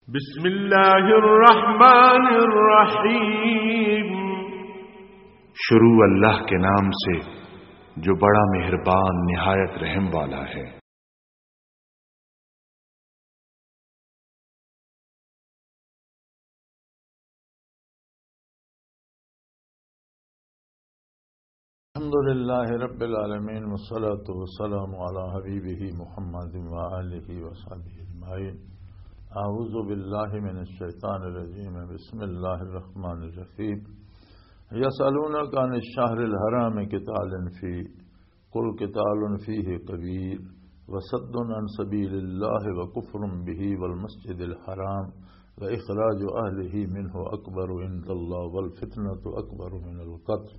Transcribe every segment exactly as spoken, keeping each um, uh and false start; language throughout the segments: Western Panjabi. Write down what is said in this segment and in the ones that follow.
بسم اللہ الرحمن الرحیم۔ شروع اللہ کے نام سے جو بڑا مہربان نہایت رحم والا ہے۔ الحمد لله رب العالمين، والصلاة والسلام على حبيبه محمد وآله وصحبه أجمعين. أعوذ بالله من الشيطان الرجيم. بسم الله الرحمن الرحيم. يسألونك عن الشهر الحرام قتال فيه، قل قتال فيه كبير وصد عن سبيل الله وكفر به والمسجد الحرام وإخراج أهله منه أكبر عند الله والفتنة أكبر من القتل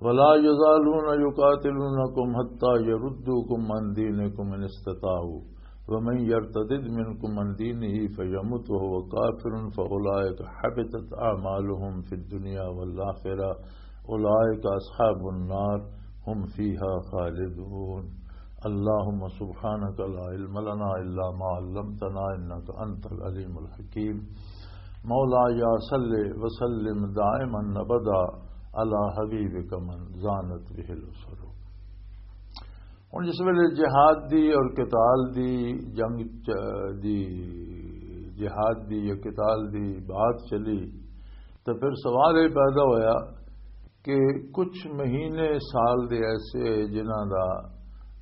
ولا يزالون يقاتلونكم حتى يردوكم عن دينكم إن استطاعوا ومن يرتد منكم عن دينه فيمت وهو كافر فأولئك حبطت أعمالهم في الدنيا والآخرة أولئك أصحاب النار هم فيها خالدون. اللهم سبحانك لا علم لنا إلا ما علمتنا إنك أنت العليم الحكيم. مولاي صل وسلم دائما أبدا على حبيبك من زانت به الأسر. ہن جس ویلے جہاد دی اور قتال دی جنگ چ-، دی، جہاد دی یا قتال دی بات چلی، تو پھر سوال یہ پیدا ہویا کہ کچھ مہینے سال دے ایسے جنہاں دا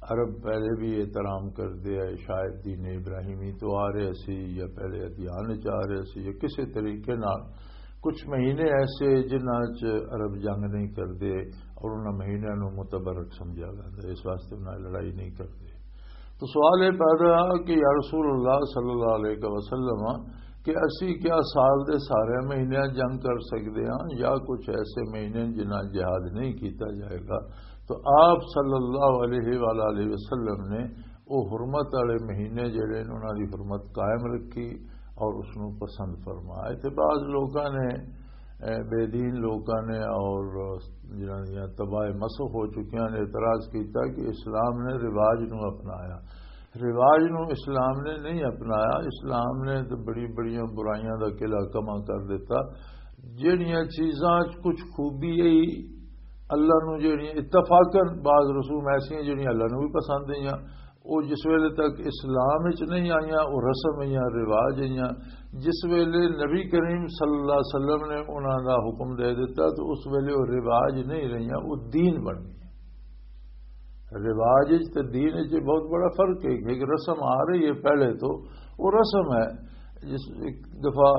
عرب پہلے بھی احترام کردے آئے، شاید دین ابراہیمی تو آ رہے سی یا پہلے ادیان چ آ رہے سی یا کسی طریقے نال کچھ مہینے ایسے جنہاں چ عرب جنگ نہیں کردے اور انہاں مہینیاں نوں متبرک سمجھیا ویندا، اس واسطے انہاں لڑائی نہیں کردے۔ تو سوال یہ پیدا کہ یا رسول اللہ صلی اللہ علیہ وسلم، کہ اسی کیا سال دے سارے مہینے جنگ کر سکدے ہاں یا کچھ ایسے مہینے جنہاں جہاد نہیں کیتا جائے گا؟ تو آپ صلی اللہ علیہ وآلہ وسلم نے وہ حرمت والے مہینے جڑے نے انہاں دی حرمت قائم رکھی اور اس نوں پسند فرمایا۔ تے بعض لوکاں نے، اے، بے دین لوکاں نے اور جنہاں دیاں تباہ مسخ ہو چکیاں نے اعتراض کیتا کہ اسلام نے رواج نوں اپنایا۔ رواج نوں اسلام نے نہیں اپنایا، اسلام نے تو بڑی بڑیاں برائیاں دا قلعہ کما کر دیتا۔ جڑیاں چیزاں چ کچھ خوبی ہے اللہ نوں، جڑیاں اتفاقاً بعض رسوم ایسیاں جڑیاں اللہ نوں بھی پسند ہیں، وہ جس ویلے تک اسلام وچ نہیں آئیاں، وہ رسم ہیں، رواج ہیں۔ جس ویلے نبی کریم صلی اللہ علیہ وسلم نے انہاں دا حکم دے دیتا تو اس ویلے وہ رواج نہیں رہیاں، وہ دین بن گئی۔ رواج وچ تے دین وچ بہت بڑا فرق ہے۔ ایک رسم آ رہی ہے پہلے تو، وہ رسم ہے۔ جس ایک دفعہ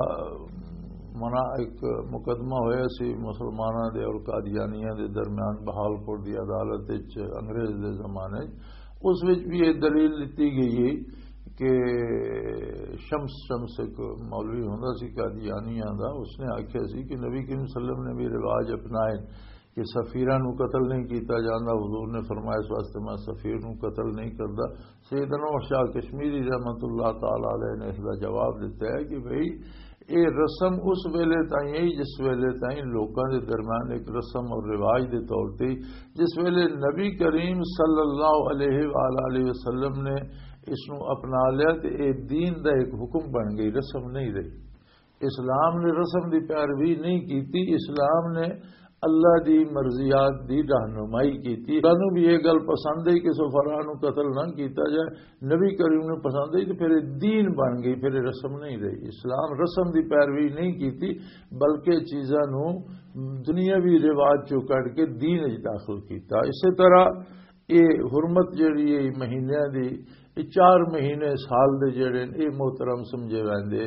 منا ایک مقدمہ ہویا سی مسلماناں دے اور قادیانیاں دے درمیان بہاولپور دی عدالت وچ انگریز دے زمانے وچ۔ اس وچ بھی یہ دلیل دتی گئی ہے کہ شمس، شمس ایک مولوی ہوندا سی قادیانیاں دا، اس نے آکھیا سی کہ نبی کریم صلی اللہ علیہ وسلم نے بھی رواج اپنائے کہ سفیراں نوں قتل نہیں کیتا جاندا۔ حضور نے فرمایا، "اس واسطے میں سفیر نوں قتل نہیں کردا۔" سیدنا شاہ کشمیری رحمت اللہ تعالی علیہ نے اس دا جواب دیتا ہے کہ بھئی، اے رسم اس ویلے تائیں ہے جس ویلے تائیں لوکاں دے درمیان ایک رسم اور رواج دے طور تے، جس ویلے نبی کریم صلی اللہ علیہ وآلہ وسلم نے اس نوں اپنا لیا تے اے دین دا ایک حکم بن گئی، رسم نہیں رہی۔ اسلام نے رسم دی پیروی نہیں کیتی، اسلام نے اللہ دی مرضیات دی رہنمائی کیتی۔ انہوں بھی یہ گل پسند ہے کہ سفراء نوں قتل نہ کیتا جائے، نبی کریم نوں پسند ہے، تو پھر یہ دین بن گئی، پھر یہ رسم نہیں رہی۔ اسلام رسم دی پیروی نہیں کیتی، بلکہ چیزاں نوں دنیاوی رواج چوں کڈ کے دین وچ داخل کیتا۔ اسی طرح یہ حرمت جڑی ہے مہینیاں دی، یہ چار مہینے سال دے جڑے نے، یہ محترم سمجھے ویندے۔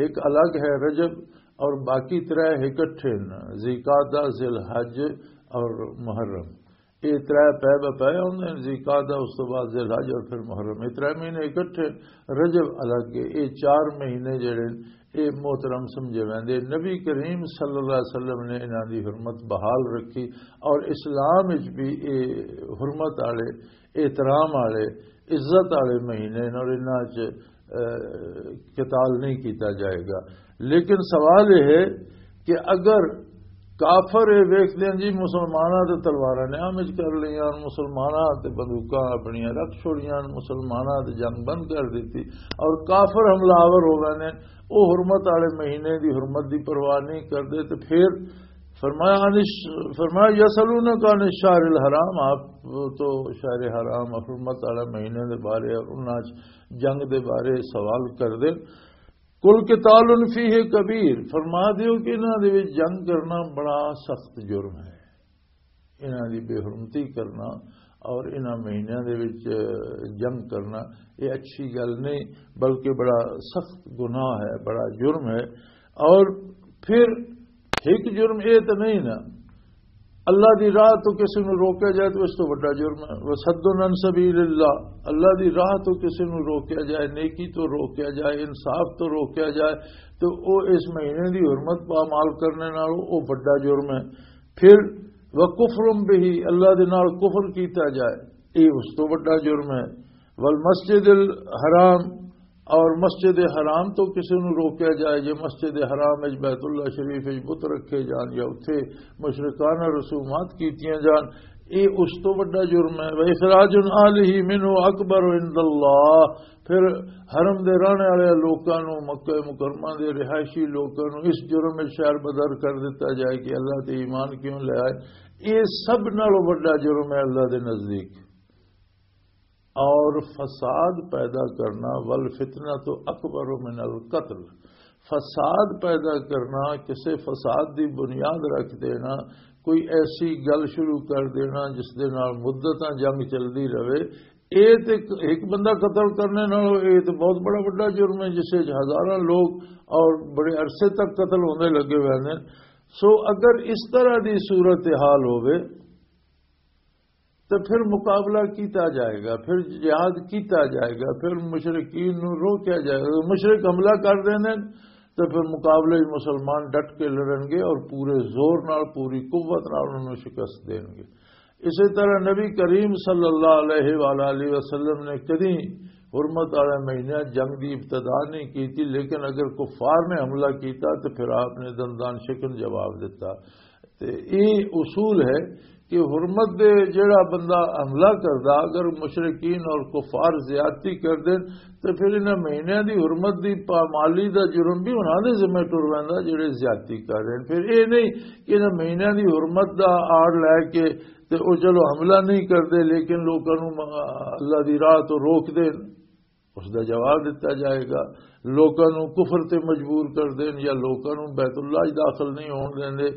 ایک الگ ہے رجب، اور باقی ترے اکٹھے نے، ذی قعدہ، ذی الحج اور محرم۔ یہ ترے پے بہ پے ہوندے نے، ذی قعدہ، اس تو بعد ذی الحج اور پھر محرم۔ یہ ترے مہینے اکٹھے، رجب الگ ہے۔ یہ چار مہینے جڑے نے، یہ محترم سمجھے ویندے۔ نبی کریم صلی اللہ علیہ وسلم نے انہاں دی حرمت بحال رکھی اور اسلام وچ بھی یہ حرمت والے، احترام والے، عزت والے مہینے نے اور انہاں چ، اے، قتال نہیں کیتا جائے گا۔ لیکن سوال یہ ہے کہ اگر کافر یہ ویکھدے ہیں جی، مسلماناں تے تلواراں نیام وچ کر لیاں، مسلماناں تے بندوقاں اپنیاں رکھ چھوڑیاں، مسلماناں تے جنگ بند کر دتی، اور کافر حملہ آور ہو گئے نے، وہ حرمت والے مہینے دی حرمت دی پرواہ نہیں کردے۔ تے پھر فرمایا، عن الش-، فرمایا، یسألونک عن الشہر الحرام، آپ تو شہر حرام، حرمت والے مہینے دے بارے اور انہاں چ جنگ دے بارے سوال کر دے۔ قل قتال فیہ کبیر، فرما دیو کہ انہاں دے وچ جنگ کرنا بڑا سخت جرم ہے۔ انہاں دی بے حرمتی کرنا اور انہاں مہینیاں دے وچ جنگ کرنا، یہ اچھی گل نہیں، بلکہ بڑا سخت گناہ ہے، بڑا جرم ہے۔ اور پھر ایک جرم یہ تو نہیں نا، اللہ دی راہ تو کسی نو روکیا جائے تو اس تو بڑا جرم ہے۔ وصد عن سبیل اللہ، اللہ دی راہ تو کسی نو روکیا جائے، نیکی تو روکیا جائے، انصاف تو روکیا جائے، تو او اس مہینے دی حرمت پامال کرنے نال او بڑا جرم ہے۔ پھر وکفر بہ، اللہ دے نال کفر کیتا جائے، یہ اس تو بڑا جرم ہے۔ والمسجد الحرام، اور مسجد حرام تو کسی نو روکیا جائے، جے مسجد حرام وچ، بیت اللہ شریف وچ بت رکھے جان یا اتھے مشرکانہ رسومات کیتیاں جان، یہ اس تو بڑا جرم ہے۔ واخراج اہلہ منہ اکبر عند اللہ، پھر حرم دے رہنے والے لوکاں نو، مکہ مکرمہ دے رہائشی لوکاں نو اس جرم وچ شہر بدر کر دتا جائے کہ اللہ تے ایمان کیوں لے آئے، یہ سب نالوں بڑا جرم ہے اللہ دے نزدیک۔ اور فساد پیدا کرنا، والفتنہ تو اکبر من القتل، فساد پیدا کرنا، کسے فساد دی بنیاد رکھ دینا، کوئی ایسی گل شروع کر دینا جس دے نال مدتاں جنگ چلدی رہے، اے تے ایک، ایک بندہ قتل کرنے نال، اے تے بہت بڑا، بڑا جرم ہے جس وچ ہزاراں لوگ اور بڑے عرصے تک قتل ہوندے لگے ہوئے ہیں۔ سو اگر اس طرح دی صورت حال ہوئے تو پھر مقابلہ کیتا جائے گا، پھر جہاد کیتا جائے گا، پھر مشرکین نو روکیا جائے گا۔ مشرک حملہ کر دیں تو پھر مقابلے وچ مسلمان ڈٹ کے لڑن گے اور پورے زور نال، پوری قوت نال انہوں نے شکست دین گے۔ اسی طرح نبی کریم صلی اللہ علیہ وآلہ وسلم نے کدی حرمت والے مہینے جنگ دی ابتدا نہیں کی تھی، لیکن اگر کفار نے حملہ کیتا تو پھر آپ نے دندان شکن جواب دیتا۔ تے اے اصول ہے کہ حرمت دے جڑا بندہ حملہ کردا، اگر مشرکین اور کفار زیادتی کر دین، تے پھر انہاں مہینیاں دی حرمت دی پامالی دا جرم بھی انہاں دے ذمہ ٹر ویندا جڑے زیادتی کر رہے ہیں۔ پھر اے نہیں کہ انہاں مہینیاں دی حرمت دا آڑ لے کے تے او چلو حملہ نہیں کردے، لیکن لوکاں نوں م-، اللہ دی راہ تو روک دین، اس دا جواب دتا جائے گا۔ لوکاں نوں کفر تے مجبور کر دین، یا لوکاں نوں بیت اللہ وچ داخل نہیں ہون دیندے،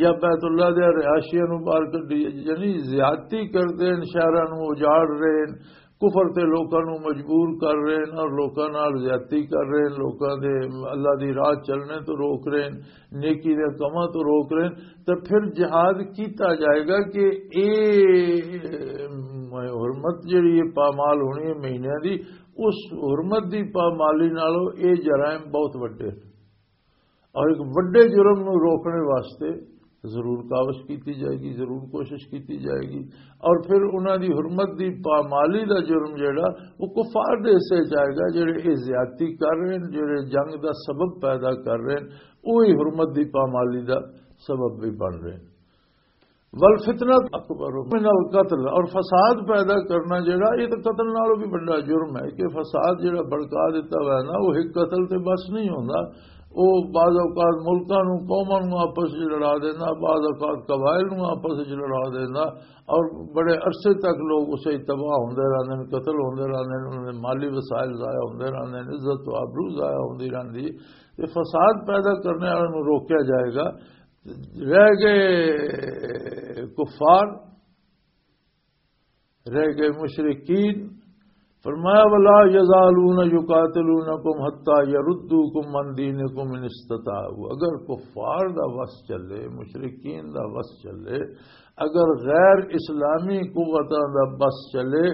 یا بیت اللہ دے رہائشیاں نوں باہر کڈی، یعنی زیادتی کر دین، شہراں نوں اجاڑ رہے ہیں، کفر تے لوکاں نوں مجبور کر رہے ہیں اور لوکاں نال زیادتی کر رہے ہیں، لوکاں دے اللہ دی راہ چلنے تو روک رہے ہیں، نیکی دے کماں تو روک رہے ہیں، تے پھر جہاد کیتا جائے گا کہ اے حرمت جڑی ہے پامال ہونی ہے مہینیاں دی، اس حرمت دی پامالی نالوں اے جرائم بہت وڈے ہیں۔ اور ایک وڈے جرم نوں روکنے واسطے ضرور کاوش کیتی جائے گی، ضرور کوشش کیتی جائے گی۔ اور پھر انہاں دی حرمت دی پامالی دا جرم جڑا، وہ کفار دے حصے چ آئے گا، جڑے اے زیادتی کر رہے ہیں، جڑے جنگ دا سبب پیدا کر رہے ہیں، وہی حرمت دی پامالی دا سبب بھی بن رہے ہیں۔ والفتنہ اکبر من القتل، اور فساد پیدا کرنا جڑا، یہ تو قتل نالوں بھی بڑا جرم ہے کہ فساد جڑا بڑکا دیتا ہوا ہے نا، وہ ایک قتل تے بس نہیں ہوندا۔ وہ بعض اوقات ملکاں نوں، قوماں نوں آپس وچ لڑا دینا، بعض اوقات قبائل نوں آپس وچ لڑا دینا، اور بڑے عرصے تک لوگ اسے تباہ ہوندے رہندے نے، قتل ہوندے رہندے نے، انہاں دے مالی وسائل ضائع ہوندے رہندے نے، عزت و آبرو ضائع ہوندی رہندی ہے۔ یہ فساد پیدا کرنے والے نوں روکیا جائے گا۔ رہ گئے کفار، رہ گئے مشرکین۔ فرمایا، ولا یزالون یقاتلونکم حتی یردوکم عن دینکم ان استطاعوا۔ اگر کفار دا وس چلے، مشرکین دا وس چلے، اگر غیر اسلامی قوتاں دا بس چلے،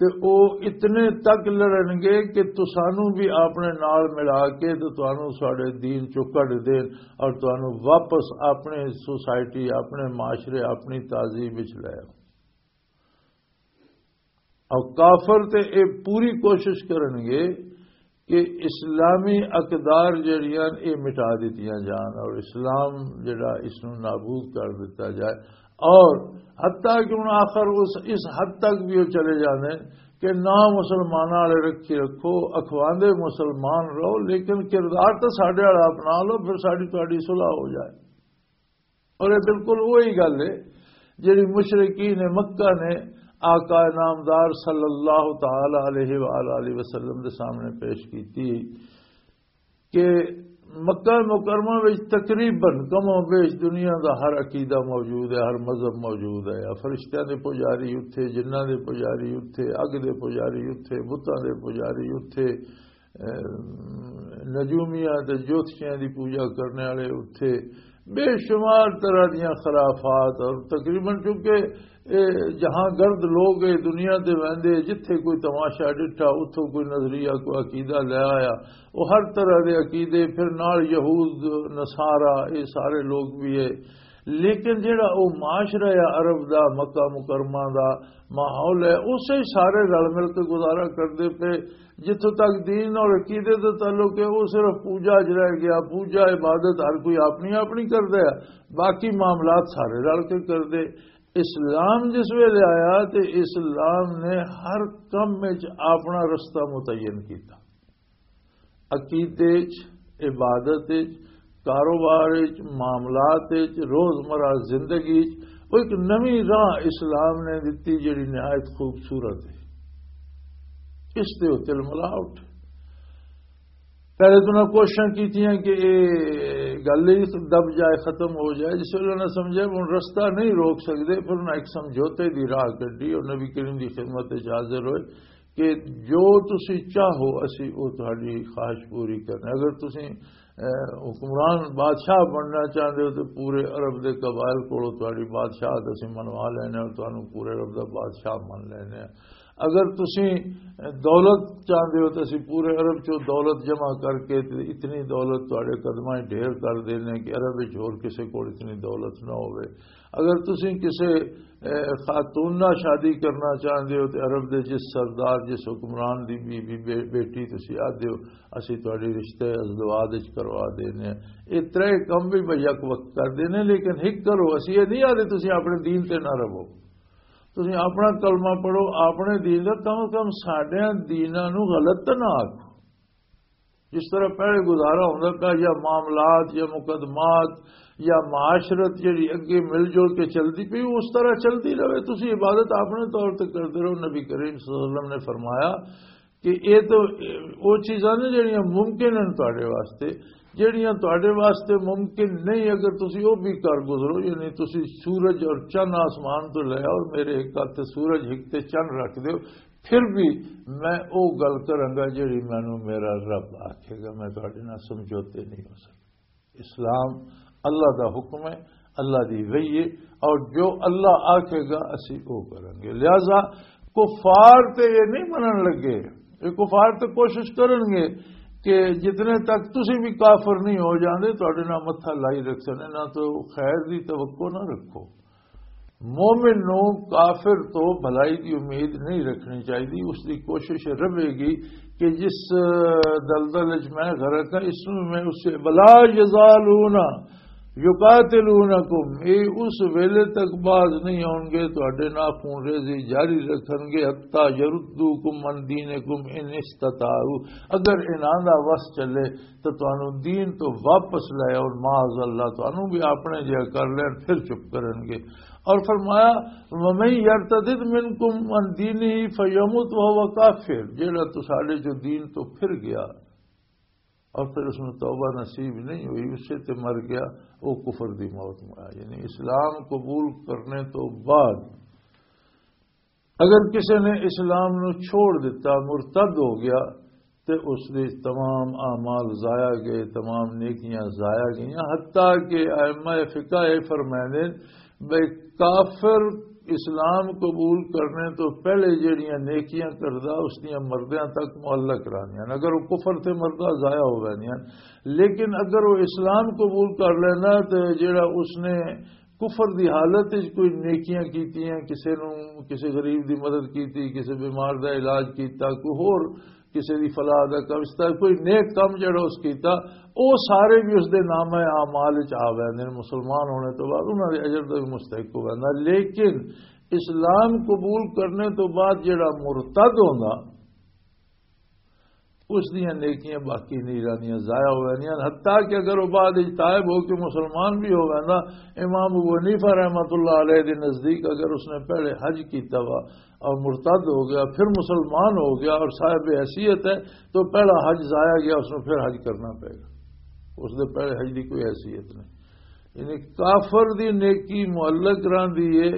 تے او اتنے تک لڑن گے کہ تسانوں بھی اپنے نال ملا کے تے تانوں ساڈے دین چوں کڈ دین اور تانوں واپس اپنے سوسائٹی، اپنے معاشرے، اپنی تہذیب وچ لے آؤ۔ اور کافر تے اے پوری کوشش کرن گے کہ اسلامی اقدار جڑیاں، یہ مٹا دتیاں جان اور اسلام جڑا، اس نو نابود کر دتا جائے۔ اور حتیٰ کہ ہن آخر اس، اس حد تک بھی وہ چلے جاندے کہ نہ مسلماناں والے رکھی رکھو، اخواندے مسلمان رہو، لیکن کردار تو ساڈے والا اپنا لو، پھر ساڈی تہاڈی صلح ہو جائے۔ اور یہ بالکل وہی گل ہے جڑی مشرکین مکہ نے آقا نامدار صلی اللہ تعالی علیہ وآلہ وسلم دے سامنے پیش کی تھی کہ مکہ مکرمہ وچ تقریباً کم و بیش دنیا دا ہر عقیدہ موجود ہے، ہر مذہب موجود ہے۔ فرشتیاں دے پجاری اتھے، جناں دے پجاری اتھے، اگ دے پجاری اتھے، بتاں دے پجاری اتھے، نجومیاں تے جوتشیاں دی پوجا کرنے والے اتھے، بے شمار طرح دیاں خرافات۔ اور تقریباً چونکہ اے جہاں گرد لوگ اے دنیا تے ویندے، جتھے کوئی تماشا ڈٹھا، اتھوں کوئی نظریہ، کوئی عقیدہ لے آیا۔ وہ ہر طرح دے عقیدے، پھر نال یہود، نصارہ، اے سارے لوگ بھی ہے۔ لیکن جڑا او معاشرہ ہے عرب دا، مکہ مکرمہ دا ماحول ہے، اسے سارے رل مل کے گزارا کردے پے۔ جتھوں تک دین اور عقیدے دا تعلق ہے، وہ صرف پوجا چ رہ گیا، پوجا عبادت ہر کوئی اپنی اپنی کردا ہے، باقی معاملات سارے رل کے کردے۔ اسلام جس ویلے آیا تے اسلام نے ہر کم وچ اپنا رستہ متعین کیتا۔ عقیدے چ، عبادت چ، کاروبار چ، معاملات چ، روزمرہ زندگی چ، وہ ایک نویں راہ اسلام نے دتی، جڑی نہایت خوبصورت ہے۔ اس تے وہ تلملا اٹھے۔ پہلے تو انہاں کوششاں کیتیاں کہ یہ گل ہی دب جائے، ختم ہو جائے۔ جس ویلے انہاں سمجھا کہ ہن رستہ نہیں روک سکدے، پھر انہاں ایک سمجھوتے دی راہ کڈی اور نبی کریم دی خدمت وچ حاضر ہوئے کہ جو تسی چاہو، اسی او تہاڈی خواہش پوری کرنے۔ اگر تسی، اے، حکمران بادشاہ بننا چاہندے ہو، تو پورے عرب دے قبائل کولوں تہاڈی بادشاہت اسی منوا لینے اور تانوں پورے عرب دا بادشاہ من لینے۔ اگر تسی دولت چاہندے ہو، تو اسی پورے عرب چوں دولت جمع کر کے تے اتنی دولت تہاڈے قدماں 'چ ڈھیر کر دینے کہ عرب وچ ہور کسے کول اتنی دولت نہ ہوے۔ اگر تسی کسے، اے، خاتون نال شادی کرنا چاہندے ہو تے عرب دے جس سردار، جس حکمران دی بی، بی، بے، بیٹی تسی آدھے ہو، اسی تہاڈے رشتے ازدواج وچ کروا دینے۔ اے ترے کم بھی بھئی یک وقت کر دینے، لیکن ہک کرو، اسی اے نہیں آدھے تسی اپنے دین تے نہ رہو۔ تسی اپنا کلمہ پڑھو، اپنے دین دا، کم از کم ساڈیاں دیناں نو غلط تے نہ آکھو۔ جس طرح پہلے گزارا ہوندا پیا، یا معاملات، یا مقدمات، یا معاشرت جڑی اگے مل جل کے چلدی پئی، اس طرح چلدی رہے۔ تسی عبادت اپنے طور تے کردے رہو۔ نبی کریم صلی اللہ علیہ وسلم نے فرمایا کہ یہ تو وہ چیزاں نے جڑیاں ممکن ہیں تہاڈے واسطے، جڑیاں تہاڈے واسطے ممکن نہیں، اگر تسی وہ بھی کر گزرو، یعنی تسی سورج اور چند آسمان تو لے آؤ، میرے ایک ہاتھ تے سورج، ایک تے چند رکھ دیو، پھر بھی میں او گل کراں گا جڑی مینوں میرا رب آکھے گا۔ میں تہاڈے نال سمجھوتے نہیں ہو سکدا۔ اسلام اللہ دا حکم ہے، اللہ دی وحی ہے، اور جو اللہ آکھے گا اسی او کریں گے۔ لہذا کفار تے یہ نہیں منن لگے، یہ کفار تے کوشش کرن گے کہ جتنے تک تسی بھی کافر نہیں ہو جاندے، تہاڈے نال متھا لائی رکھ سکنے، نہ تو خیر دی توقع نہ رکھو۔ مومن نو کافر تو بھلائی دی امید نہیں رکھنی چاہیے۔ اس دی کوشش رہے گی کہ جس دلدل وچ میں غرق ہاں، اس میں میں اسے، ولا یزالون یقاتلونکم، اے اس ویلے تک باز نہیں ہون گے، تہاڈے نال خون ریزی جاری رکھن گے، حتی یردوکم عن دینکم ان استطاعوا، اگر انہاں دا وس چلے تو تانوں دین تو واپس لے آؤ، معاذ اللہ، تانوں بھی اپنے جہا کر لین، پھر چپ کرن گے۔ اور فرمایا، ومن یرتدد منکم عن دینہ فیمت وہو کافر، جیڑا تو ساڈے جو دین تو پھر گیا اور پھر اس میں توبہ نصیب نہیں ہوئی، اسے تے مر گیا، وہ کفر دی موت مرا۔ یعنی اسلام قبول کرنے تو بعد اگر کسی نے اسلام نو چھوڑ دتا، مرتد ہو گیا، تے اس دے تمام اعمال ضائع گئے، تمام نیکیاں ضائع گئیاں۔ حتیٰ کہ ائمہ فقہ یہ فرمائے نے بھئی کافر اسلام قبول کرنے تو پہلے جڑیاں نیکیاں کردا، اس دیاں مردیاں تک معلق رہندیاں۔ اگر وہ کفر تے مردا، ضائع ہو ویندیاں، لیکن اگر وہ اسلام قبول کر لینا تے جڑا اس نے کفر دی حالت وچ کوئی نیکیاں کیتیاں، کسے نوں، کسے غریب دی مدد کیتی، کسے بیمار دا علاج کیتا، کوئی ہور کسی دی فلاح دا کم، اس طرح کوئی نیک کم جڑا اس کیتا، او سارے بھی اس دے نامہ اعمال وچ آ ویندے نے۔ مسلمان ہونے تو بعد انہاں دے اجر دا بھی مستحق ہو ویندا۔ لیکن اسلام قبول کرنے تو بعد جڑا مرتد ہوندا، اس دیاں نیکیاں باقی نہیں رہندیاں، ضائع ہو جاندیاں۔ حتیٰ کہ اگر وہ بعد وچ تائب ہو کے مسلمان بھی ہو گیا نا، امام ابو حنیفہ رحمۃ اللہ علیہ دے نزدیک اگر اس نے پہلے حج کیتا ہوا اور مرتد ہو گیا، پھر مسلمان ہو گیا اور صاحب حیثیت ہے، تو پہلا حج ضائع گیا، اس نے پھر حج کرنا پڑے گا۔ اس دے پہلے حج دی کوئی حیثیت نہیں۔ یعنی کافر دی نیکی معلق رہندی ہے،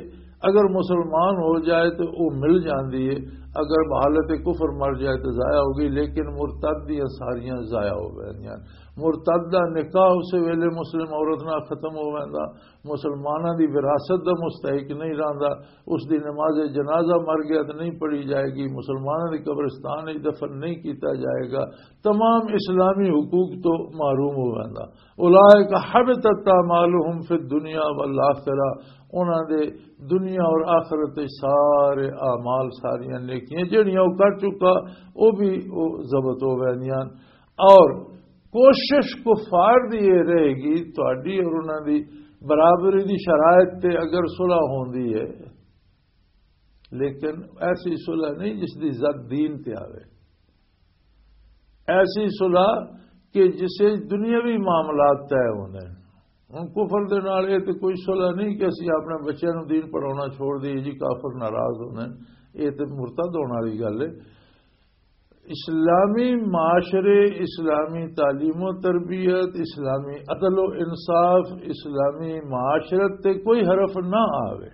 اگر مسلمان ہو جائے تو وہ مل جاندی ہے، اگر بحالت کفر مر جائے تو ضائع ہو گئی، لیکن مرتد دیاں ساریاں ضائع ہو گئیاں۔ مرتد دا نکاح اس ویلے مسلم عورت نال ختم ہو ویندا، مسلماناں دی وراثت دا مستحق نہیں رہندا، اس دی نماز جنازہ مر گیا تو نہیں پڑھی جائے گی، مسلماناں دی قبرستان وچ دفن نہیں کیتا جائے گا، تمام اسلامی حقوق تو محروم ہو ویندا۔ اولئک حبطت اعمالہم فی الدنیا والآخرہ، انہاں دے دنیا اور آخرت وچ سارے اعمال، ساریاں نیکیاں جڑیاں وہ کر چکا، وہ بھی وہ ضبط ہو ویندیاں۔ اور کوشش کفار دی یہ رہے گی، تہاڈی اور انہاں دی برابری دی شرائط تے اگر صلح ہوندی ہے، لیکن ایسی صلح نہیں جس دی زد دین تے آوے۔ ایسی صلح کہ جسے دنیاوی معاملات طے ہوندے نے۔ ہن کفر دے نال اے تے کوئی صلح نہیں کہ اسی اپنے بچیاں نوں دین پڑھاونا چھوڑ دئیے جی، کافر ناراض ہوندے نے۔ اے تے مرتد ہون والی گل ہے۔ اسلامی معاشرے، اسلامی تعلیم و تربیت، اسلامی عدل و انصاف، اسلامی معاشرت تے کوئی حرف نہ آوے۔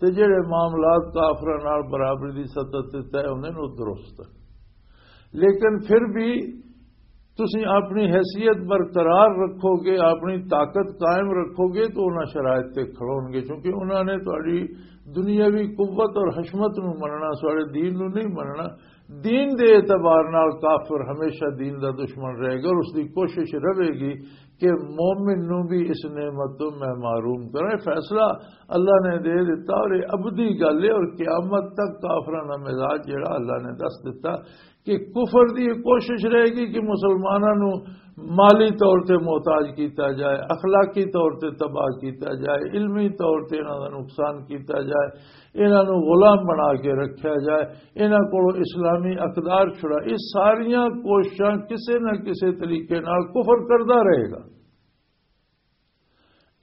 تے جڑے معاملات کافراں نال برابری دی سطح تے طے ہوندے نے، او درست ہے۔ لیکن پھر بھی تسی اپنی حیثیت برقرار رکھو گے، اپنی طاقت قائم رکھو گے، تو انہاں شرائط تے کھڑون گے، کیونکہ انہاں نے تہاڈی دنیاوی قوت اور حشمت نو مننا، سارے دین نو نہیں مننا۔ دین دے اعتبار نال کافر ہمیشہ دین دا دشمن رہے گا، اور اس دی کوشش رہے گی کہ مومن نو بھی اس نعمت تو میں محروم کرے۔ فیصلہ اللہ نے دے دیتا اور یہ ابدی گل ہے، اور قیامت تک کافراں دا مزاج جڑا اللہ نے دس دیتا کہ کفر دی یہ کوشش رہے گی کہ مسلماناں نو مالی طور تے محتاج کیتا جائے، اخلاقی طور تے تباہ کیتا جائے، علمی طور تے انہاں دا نقصان کیتا جائے، انہاں نو غلام بنا کے رکھیا جائے، انہاں کولوں اسلامی اقدار چھڑا۔ یہ ساریاں کوششاں کسے نہ کسے طریقے نال کفر کردا رہے گا۔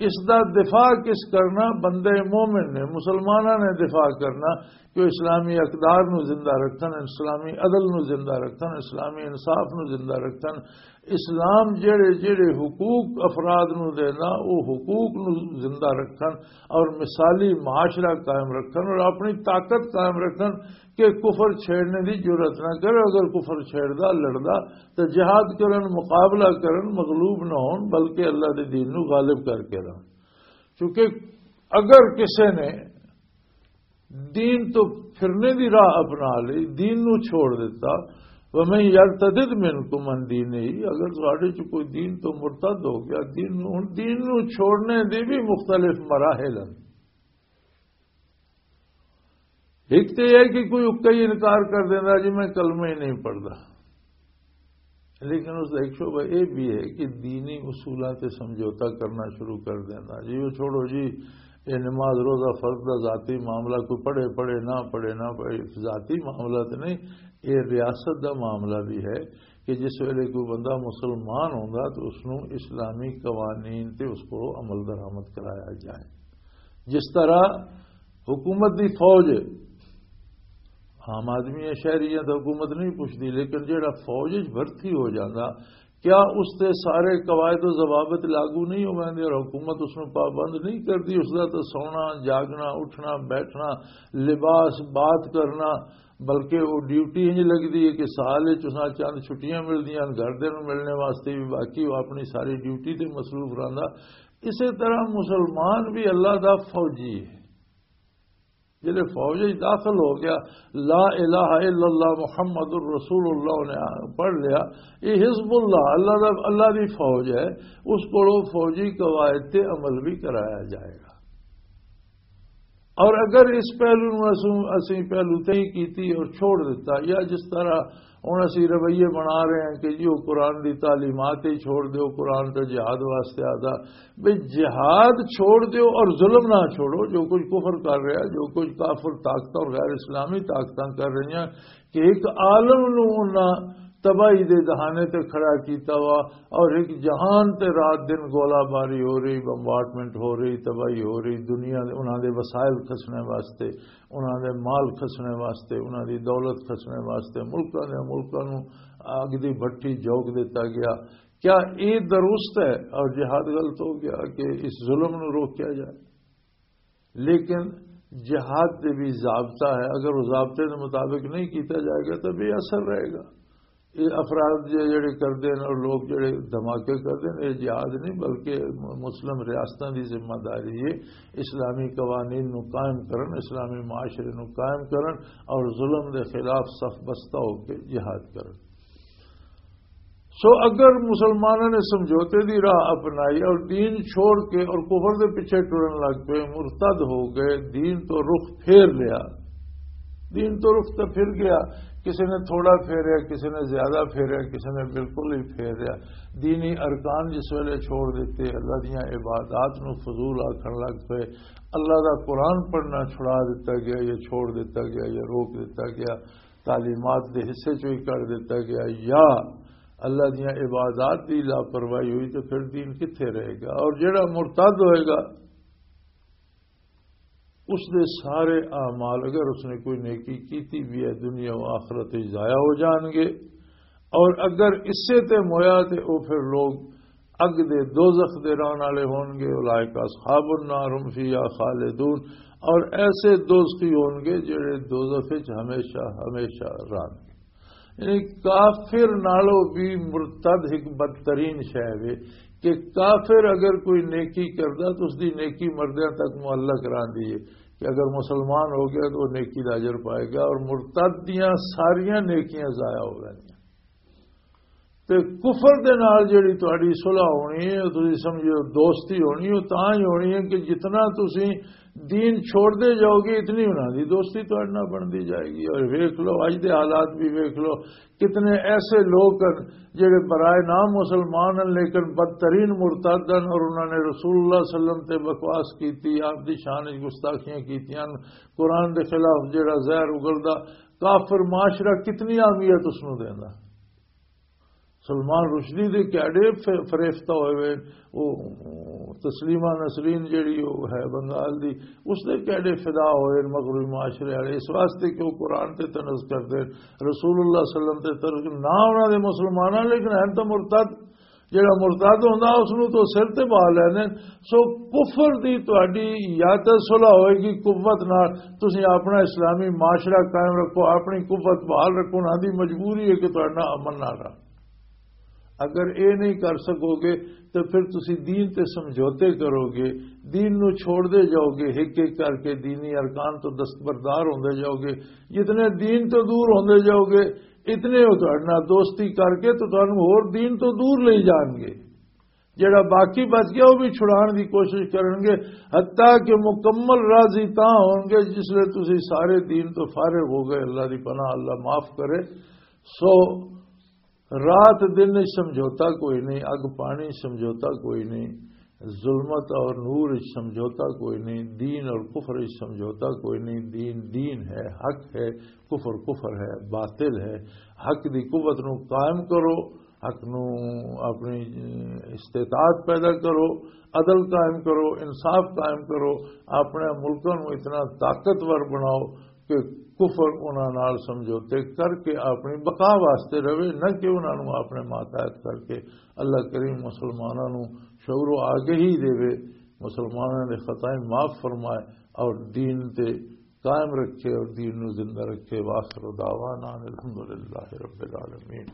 اس دا دفاع کس کرنا؟ بندے مومن نے، مسلماناں نے دفاع کرنا کہ وہ اسلامی اقدار نو زندہ رکھن، اسلامی عدل نو زندہ رکھن، اسلامی انصاف نو زندہ رکھن۔ اسلام جڑے جڑے حقوق افراد نو دینا، وہ حقوق نو زندہ رکھن اور مثالی معاشرہ قائم رکھن اور اپنی طاقت قائم رکھن کہ کفر چھیڑنے دی جرات نہ کرے۔ اگر کفر چھیڑدا، لڑدا، تو جہاد کرن، مقابلہ کرن، مغلوب نہ ہون، بلکہ اللہ دے دین نو غالب کر کے رہن۔ چونکہ اگر کسے نے دین تو پھرنے دی راہ اپنا لی، دین نو چھوڑ دیتا، وَمَن يَرْتَدِدْ مِنْكُمْ عَنْ دِينِهِ، اگر تہاڈے چ کوئی دین تو مرتد ہو گیا، دین نو، ہن دین نو چھوڑنے دے بھی مختلف مراحل ہیں۔ ایک تو یہ ہے کہ کوئی اکا ہی انکار کر دینا جی میں کلمہ ہی نہیں پڑھتا، لیکن اس کا ایک شعبہ یہ بھی ہے کہ دینی اصولاں تے سمجھوتا کرنا شروع کر دینا۔ جی وہ چھوڑو جی، یہ نماز روزہ فرض دا ذاتی معاملہ، کوئی پڑھے پڑھے نہ پڑھے نہ پڑھے، ذاتی معاملہ تو نہیں، یہ ریاست دا معاملہ بھی ہے کہ جس ویلے کوئی بندہ مسلمان ہوندا تو اس نوں اسلامی قوانین تے اس کو عمل درآمد کرایا جائے۔ جس طرح حکومت دی فوج ہے، عام آدمی ہے، شہری ہے تو حکومت نہیں پوچھتی، لیکن جہڑا فوج وچ بھرتی ہو جانا، کیا اس تے سارے قواعد و ضوابط لاگو نہیں ہو ویندے اور حکومت اس نوں پابند نہیں کرتی؟ اس دا تو سونا، جاگنا، اٹھنا، بیٹھنا، لباس، بات کرنا، بلکہ وہ ڈیوٹی انج لگدی ہے کہ سال وچ اساں چند چھٹیاں ملدیاں ہن، گھر دے نوں ملنے واسطے بھی، باقی وہ اپنی ساری ڈیوٹی تے مصروف رہندا۔ اسے طرح مسلمان بھی اللہ دا فوجی ہے۔ جلے فوج وچ داخل ہو گیا، لا الہ الا اللہ محمد الرسول اللہ نے پڑھ لیا، یہ حزب اللہ، اللہ دا، اللہ دی فوج ہے، اس کو فوجی قواعد تے عمل بھی کرایا جائے گا۔ اور اگر اس پہلو نوں اسوں، اسی پہلو تے ہی کیتی اور چھوڑ دیتا، یا جس طرح ہن اسی رویے بنا رہے ہیں کہ جی وہ قرآن دی تعلیمات ہی چھوڑ دیو، قرآن تے جہاد واسطے آدھا، بھئی جہاد چھوڑ دیو اور ظلم نہ چھوڑو۔ جو کچھ کفر کر رہا، جو کچھ کافر طاقتاں اور غیر اسلامی طاقتاں کر رہی ہیں، کہ ایک عالم نوں انہاں تباہی دے دہانے تے کھڑا کیتا وا، اور ایک جہان تے رات دن گولہ باری ہو رہی، بمبارڈمنٹ ہو رہی، تباہی ہو رہی، دنیا دے، انہاں دے وسائل کھسنے واسطے، انہاں دے مال کھسنے واسطے، انہاں دی دولت کھسنے واسطے، ملکاں دے ملکاں نوں اگ دی بھٹی جھونک دتا گیا۔ کیا یہ درست ہے اور جہاد غلط ہو گیا کہ اس ظلم نوں روکیا جائے؟ لیکن جہاد دے بھی ضابطہ ہے، اگر وہ ضابطے دے مطابق نہیں کیتا جائے گا تو بے اثر رہے گا۔ یہ افراد جو جڑے کردے ہیں اور لوگ جڑے دھماکے کردے ہیں، یہ جہاد نہیں بلکہ مسلم ریاستاں دی ذمہ داری ہے اسلامی قوانین نو قائم کرن، اسلامی معاشرے نو قائم کرن اور ظلم دے خلاف صف بستہ ہو کے جہاد کرن۔ سو اگر مسلمانوں نے سمجھوتے دی راہ اپنائی اور دین چھوڑ کے اور کفر دے پیچھے ٹرن لگ پئے، مرتد ہو گئے، دین تو رخ پھیر لیا، دین تو رخ تو پھر گیا، کسی نے تھوڑا پھیریا، کسی نے زیادہ پھیریا، کسی نے بالکل ہی پھیریا۔ دینی ارکان جس ویلے چھوڑ دیتے، اللہ دیاں عبادات نو فضول آکھن لگ پئے، اللہ دا قرآن پڑھنا چھڑا دیتا گیا، یا چھوڑ دیتا گیا، یا روک دیتا گیا، تعلیمات دے حصے چوں ہی کر دیتا گیا، یا اللہ دیاں عبادات دی لاپرواہی ہوئی، تو پھر دین کتھے رہے گا؟ اور جڑا مرتد ہوئے گا، اس دے سارے اعمال، اگر اس نے کوئی نیکی کیتی بھی ہے، دنیا و آخرت وچ ضائع ہو جان گے۔ اور اگر اسے تے مویا تے او پھر لوگ اگ دے، دوزخ دے رہن والے ہون گے، اولئک اصحاب النار هم فیہا خالدون، اور ایسے دوزخی ہون گے جڑے دوزخ وچ ہمیشہ ہمیشہ رہن گے۔ یعنی کافر نالوں بھی مرتد ایک بدترین شے وے کہ کافر اگر کوئی نیکی کردا تو اس دی نیکی مردیاں تک معلق رہندی ہے کہ اگر مسلمان ہو گیا تو وہ نیکی دا اجر پائے گا، اور مرتد دیاں ساریاں نیکیاں ضائع ہو جاندیاں۔ تے کفر دے نال جڑی تہاڈی صلح ہونی ہے، تسی سمجھو دوستی ہونی ہے، تاں ہی ہونی ہے کہ جتنا تسی دین چھوڑدے جاؤ گے، اتنی انہاں دی دوستی تہاڈے نال بندی جائے گی۔ اور ویکھ لو، اج دے حالات بھی ویکھ لو، کتنے ایسے لوگ ہیں جڑے برائے نام مسلمان ہیں، لیکن بدترین مرتد ہیں، اور انہوں نے رسول اللہ صلی اللہ علیہ وسلم تے بکواس کیتی، آپ دی شان وچ گستاخیاں کیتیاں، قرآن دے خلاف جڑا زہر اگلدا، کافر معاشرہ کتنی اہمیت اس نوں دیندا۔ سلمان رشدی دے کیڑے ف-، فریفتہ ہوئے ہوئے، وہ تسلیمہ نسرین جڑی وہ ہے بنگال دی، اس دے کیڑے فدا ہوئے مغربی معاشرے والے اس واسطے کہ وہ قرآن تے طنز کردے، رسول اللہ صلی اللہ علیہ وسلم تے طنز، نہ انہاں دے مسلماناں، لیکن ہیں تو مرتد۔ جڑا مرتد ہوندا، اس نوں تو سر تے بہا لیندے۔ سو کفر دی تہاڈی یا تے صلح ہوئے گی قوت نال، تسی اپنا اسلامی معاشرہ قائم رکھو، اپنی قوت بحال رکھو، انہاں دی مجبوری ہے کہ تہاڈا امن نہ رہا۔ اگر اے نہیں کر سکو گے تو پھر تسی دین تے سمجھوتے کرو گے، دین نو چھوڑ دے جاؤ گے، ہک ہک کر کے دینی ارکان تو دستبردار ہوندے جاؤ گے۔ جتنے دین تو دور ہوندے جاؤ گے، اتنے وہ تہاڈے نال دوستی کر کے تو تانوں ہور دین تو دور لے جان گے۔ جڑا باقی بچ گیا، وہ بھی چھڑان دی کوشش کرن گے، حتیٰ کہ مکمل راضی تاں ہون گے جس لے تسی سارے دین تو فارغ ہو گئے۔ اللہ دی پناہ، اللہ معاف کرے۔ سو رات دن وچ سمجھوتا کوئی نہیں، اگ پانی سمجھوتا کوئی نہیں، ظلمت اور نور وچ سمجھوتا کوئی نہیں، دین اور کفر وچ سمجھوتا کوئی نہیں۔ دین دین ہے، حق ہے، کفر کفر ہے، باطل ہے۔ حق دی قوت نو قائم کرو، حق نو اپنی استطاعت پیدا کرو، عدل قائم کرو، انصاف قائم کرو، اپنے ملکوں نو اتنا طاقتور بناؤ کہ کفر انہاں نال سمجھوتے کر کے اپنی بقا واسطے رہے، نہ کہ انہاں نو اپنے ماتحت کر کے۔ اللہ کریم مسلماناں نو شعور و آگہی دے، مسلماناں دے خطائیں معاف فرمائے اور دین تے قائم رکھے اور دین نو زندہ رکھے۔ وآخر دعوانا ان الحمدللہ رب العالمین۔